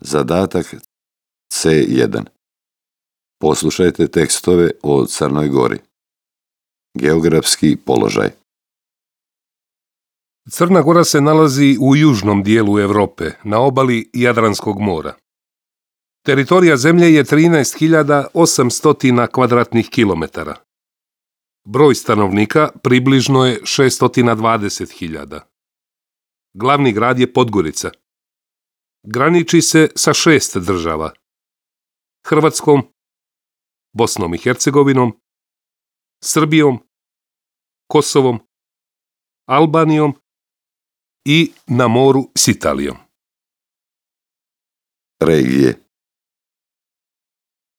Zadatak C1. Poslušajte tekstove o Crnoj Gori. Geografski položaj. Crna Gora se nalazi u južnom dijelu Europe, na obali Jadranskog mora. Teritorija zemlje je 13.800 kvadratnih kilometara. Broj stanovnika približno je 620.000. Glavni grad je Podgorica. Graniči se sa 6 država: Hrvatskom, Bosnom i Hercegovinom, Srbijom, Kosovom, Albanijom i na moru s Italijom. Regije.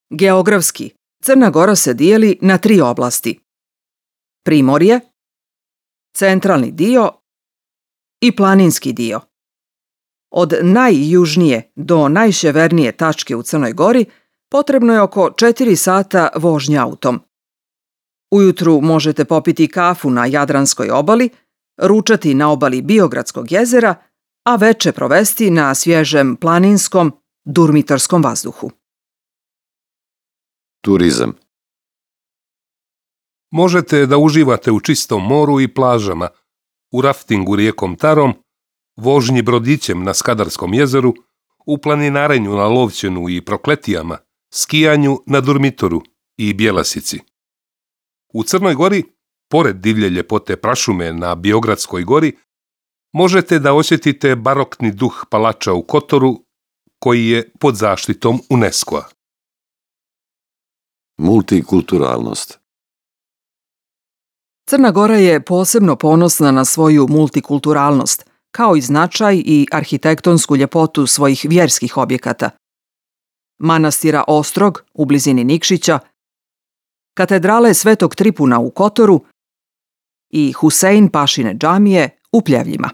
Geografski, Crna Gora se dijeli na 3 oblasti: Primorje, centralni dio i planinski dio. Od najjužnije do najsjevernije tačke u Crnoj Gori potrebno je oko 4 sata vožnje autom. Ujutru možete popiti kafu na Jadranskoj obali, ručati na obali Biogradskog jezera, a veče provesti na svježem planinskom durmitorskom vazduhu. Turizam. Možete da uživate u čistom moru i plažama, u raftingu rijekom Tarom, vožnji brodićem na Skadarskom jezeru, u planinarenju na Lovćenu i Prokletijama, skijanju na Durmitoru i Bjelasici. U Crnoj Gori, pored divlje ljepote prašume na Biogradskoj gori, možete da osjetite barokni duh palača u Kotoru, koji je pod zaštitom UNESCO-a. Multikulturalnost. Crna Gora je posebno ponosna na svoju multikulturalnost, kao i značaj i arhitektonsku ljepotu svojih vjerskih objekata: manastira Ostrog u blizini Nikšića, katedrale Svetog Tripuna u Kotoru i Husein Pašine džamije u Pljevljima.